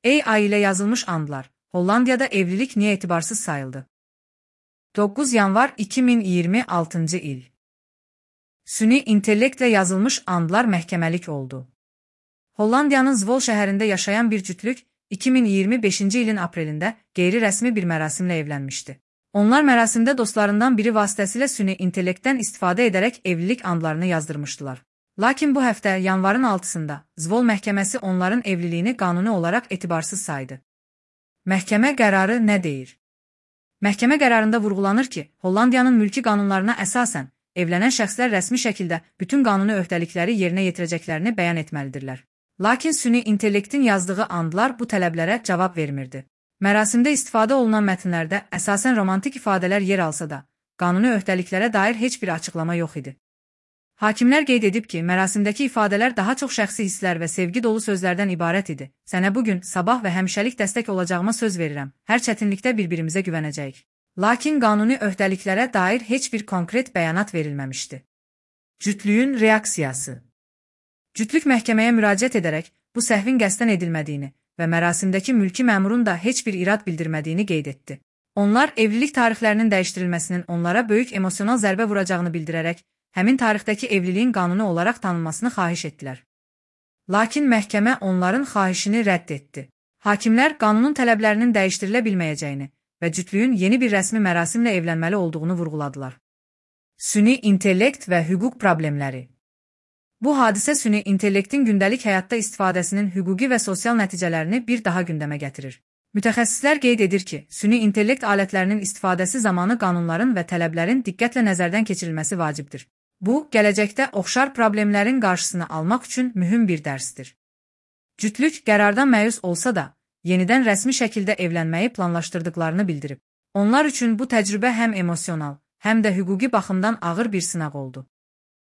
AI ile yazılmış andlar. Hollandiyada evlilik niye etibarsız sayıldı? 9 yanvar 2026 il. Süni intellektle yazılmış andlar məhkəməlik oldu. Hollandiyanın Zvol şəhərində yaşayan bir cütlük 2025 ilin aprelində qeyri-rəsmi bir mərasimlə evlənmişdi. Onlar mərasimdə dostlarından biri vasitəsilə süni intellektdən istifadə edərək evlilik andlarını yazdırmışdılar. Lakin bu həftə yanvarın 6-sında Zvol məhkəməsi onların evliliyini qanuni olaraq etibarsız saydı. Məhkəmə qərarı nə deyir? Məhkəmə qərarında vurğulanır ki, Hollandiyanın mülki qanunlarına əsasən evlənən şəxslər rəsmi şəkildə bütün qanuni öhdəlikləri yerinə yetirəcəklərini bəyan etməlidirlər. Lakin süni intellektin yazdığı andlar bu tələblərə cavab vermirdi. Mərasimdə istifadə olunan mətnlərdə əsasən romantik ifadələr yer alsa da, qanuni öhdəliklərə dair heç bir açıqlama yox idi. Hakimlər qeyd edib ki, mərasimdəki ifadələr daha çox şəxsi hisslər və sevgi dolu sözlərdən ibarət idi. Sənə bugün, sabah və həmişəlik dəstək olacağıma söz verirəm. Hər çətinlikdə bir-birimizə güvənəcəyik. Lakin qanuni öhdəliklərə dair heç bir konkret bəyanat verilməmişdi. Cütlüyün reaksiyası. Cütlük məhkəməyə müraciət edərək bu səhvin qəsdən edilmədiyini və mərasimdəki mülki məmurun da heç bir irad bildirmədiyini qeyd etdi. Onlar evlilik tarixlərinin dəyişdirilməsinin onlara böyük emosional zərbə vuracağını bildirərək, həmin tarixdəki evliliyin qanuni olaraq tanınmasını xahiş etdilər. Lakin məhkəmə onların xahişini rədd etdi. Hakimlər qanunun tələblərinin dəyişdirilə bilməyəcəyini və cütlüyün yeni bir rəsmi mərasimlə evlənməli olduğunu vurğuladılar. Süni intellekt və hüquq problemləri. Bu hadisə süni intellektin gündəlik həyatda istifadəsinin hüquqi və sosial nəticələrini bir daha gündəmə gətirir. Mütəxəssislər qeyd edir ki, süni intellekt alətlərinin istifadəsi zamanı qanunların və tələblərin diqqətlə nəzərdən keçirilməsi vacibdir. Bu, gələcəkdə oxşar problemlərin qarşısını almaq üçün mühüm bir dərsdir. Cütlük qərardan məyus olsa da, yenidən rəsmi şəkildə evlənməyi planlaşdırdıqlarını bildirib. Onlar üçün bu təcrübə həm emosional, həm də hüquqi baxımdan ağır bir sınaq oldu.